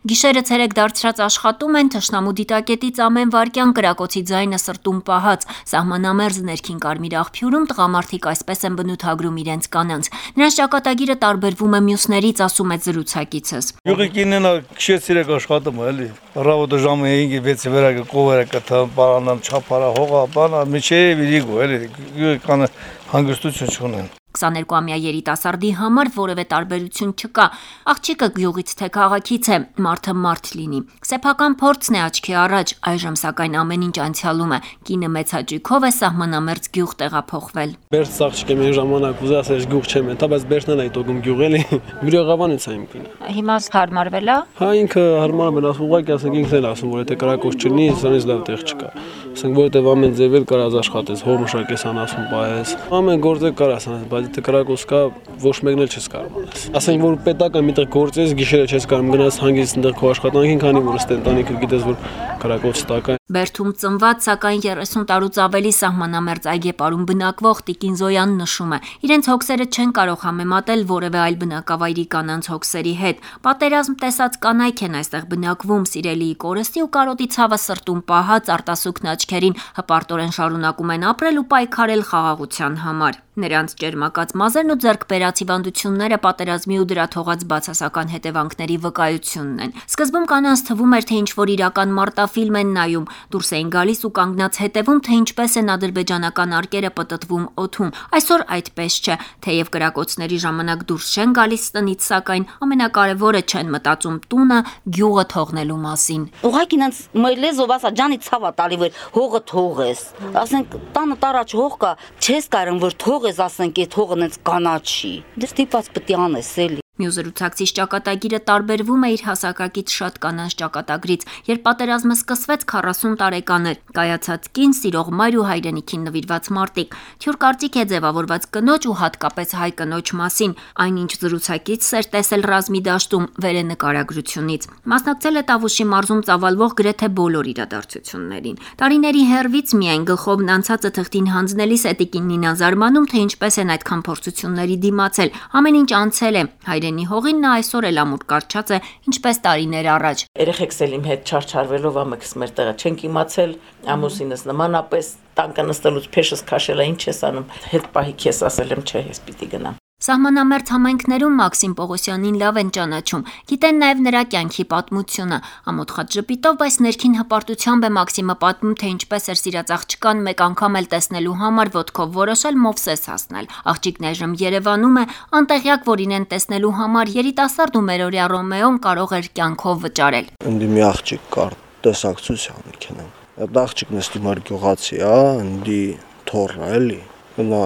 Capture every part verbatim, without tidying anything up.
Գիշերը ցերեկ դարձրած աշխատում են, թշնամու դիտակետից ամեն վայրկյան կրակոցի ձայնը սրտում պահած, սահմանամերձ ներքին Կարմիր աղբյուրում տղամարդիկ այսպես են բնութագրում իրենց կանանց։ Նրանց ճակատագիրը տարբերվում է մյուսներից, ասում է զրուցակիցս։ Յուղի կինենա քիչ ցերեկ աշխատում է, էլի։ Ռավոտը ժամը հինգի վեցի վերակը կովերը կթա պարանամ չափարա հողա, բանա միջև իրիգո, էլի։ Կան հանգստություն չունեն։ քսաներկուամյա երիտասարդի համար որևէ տարբերություն չկա։ Աղջիկը գյուղից թե քաղաքից է, մարդը մարդ լինի։ Սեփական փորձն է աչքի առաջ, այժմ սակայն ամեն ինչ անցյալում է։ Կինը մեծ հաճույքով է սահմանամերձ գյուղ տեղափոխվել։ Բերց աղջիկ եմ այն ժամանակ ուզա ասես գյուղ չեմ, դա բայց բերցնել է դոգում գյուղ էլի։ Մյուրեղավանից է իմ կինը։ Հիմա հարմարվել է։ Հա ինքը հարմարվել, ասում ուղղակի ասենք ինքն էլ ասում որ եթե կրակոց չլինի, սրանից լավ տեղ չկա։ Ասենք որովհետև ամեն ձև էլ կարազ աշխատես, հոր մշակես անասուն պահես։ Ամեն գործը կարաս անես, բայց եթե կրակոց կա, ոչ մեկն էլ չես կարող անես։ Ասենք որ պետական միտեղ գործես, գիշերը չես կարող գնաս հանգիստ այնտեղ քո աշխատանքին, քանի որ ըստ ընտանիքը գիտես որ կրակոց տակա։ Բերդում ծնված, սակայն երեսուն տարուց ավելի սահմանամերձ այգեպարում բնակվող Տիկին Զոյանն նշում է, իրենց հոգսերը չեն կարող համեմատել որևէ այլ բնակավայրի կանանց հոգսերի հետ։ Պատերազմ տեսած կանայք են այստեղ բնակվում, սիրելիի կորստի ու կարոտի ցավը սրտում պահած, արտասուքն աչքերին հպարտորեն շարունակում են ապրել ու պայքարել խաղաղության համար։ Նրանց ճերմակած մազերն ու ձեռքբերած հիվանդությունները պատերազմի ու դրա թողած բացասական հետևանքների վկայությունն են։ Սկզբում կանանց թվում էր, թե ինչ-որ իրական մարտաֆիլմ են նայում, դուրս էին գալիս ու կանգնած հետևում, թե ինչպես են ադրբեջանական արկերը պտտվում օդում։ Այսօր այդպես չէ, թեև կրակոցների ժամանակ դուրս չեն գալիս տնից, սակայն ամենակարևորը չեն մտածում տունը, գյուղը թողնելու մասին։ Ուղղակի ինձ մելեզով ասա ջանի ցավա տալի որ հողը թողես։ Ասենք տանը տարած հող կա, չես կարող որ թողես, ասենք այդ հողը ինձ կանաչի։ Դες դիպած պետք է անես էլի։ Մյուս զրուցակցից ճակատագիրը տարբերվում է իր հասակակից շատ կանանց ճակատագրից, երբ պատերազմը սկսվեց քառասուն տարեկան էր, կայացած կին, սիրող մայր ու հայրենիքին նվիրված մարտիկ, թյուր կարծիք է ձևավորված կնոջ ու հատկապես հայ կնոջ մասին, այնինչ զրուցակիցս էր տեսել ռազմի դաշտում վերենկարագրությունից, մասնակցել է Տավուշի մարզում ծավալվող գրեթե բոլոր իրադարձություններին։ Տարիների հեռվից միայն գլխովն անցածը թղթին հանձնելիս է Տիկին Նինան զարմանում, թե ինչպես են այդքան փորձությունների դիմացել, ամեն ինչ անցել է, Հայրենի հողին նա այսօր էլ ամուր կարճած է, ինչպես տարիներ առաջ։ Երեխեքս էլ իմ հետ չարչարվելով ամենքս մեր տեղը չենք իմացել, ամուսինս նմանապես տանկը նստելուց փեշս քաշել է, ինչ ես անում, հետ պահի քեզ ասել եմ, չէ, ես պիտի գնամ։ Սահմանամերձ համայնքներում Մաքսիմ Պողոսյանին լավ են ճանաչում, գիտեն նաև նրա կյանքի պատմությունը, ամոթխած ժպիտով, բայց ներքին հպարտությամբ է Մաքսիմը պատմում, թե ինչպես էր սիրած աղջկան մեկ անգամ էլ տեսնելու համար ոտքով որոշել Մովսես հասնել։ Աղջիկն այժմ Երևանում է, անտեղյակ, որ իրեն տեսնելու համար երիտասարդ ու մերօրյա Ռոմեոն կարող էր կյանքով վճարել։ Ընդի մի աղջիկ կար, տեսակցության մեքենա։ Այդ աղջիկն էստի մեր գյուղացի է, ընդի թորը էլի։ Նա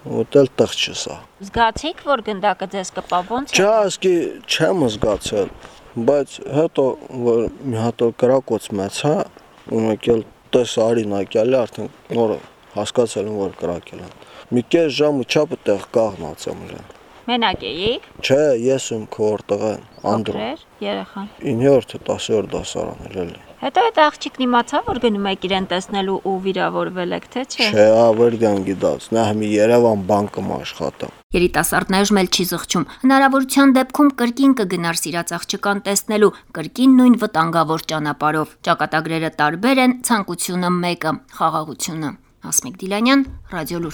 Ուտել տեղ չսա։ Զգացիք, որ գնդակը ձեզ կպավ ոնց է։ Չէ, ասկի չեմ զգացել, բայց հետո որ մի հատ կրակոց մեծա, ու մեկ էլ տես արինակյալի արդեն նոր հասկացել եմ որ կրակել են։ Մի կես ժամը չափը տեղ կաղնած եմ իրեն։ Մենակ էիք։ Չէ, ես եմ քոր տղան, Անդրոն։ Երեխան։ իններորդ դասերորդ դասարան էլի։ Հետո այդ աղջիկն իմացավ, որ գնում եք իրեն տեսնելու ու վիրավորվել եք, թե չէ։ Չէ, ավերգան գիտած, նա մի Երևան բանկում աշխատա։ Երիտասարդն այժմ էլ չի զղջում։ Հնարավորության դեպքում կրկին կգնար սիրած աղջկան տեսնելու, կրկին նույն վտանգավոր ճանապարհով։ Ճակատագրերը տարբեր են, ցանկությունը մեկը՝ խաղաղությունը։ Հասմիկ Դիլանյան, Ռադիոլուր։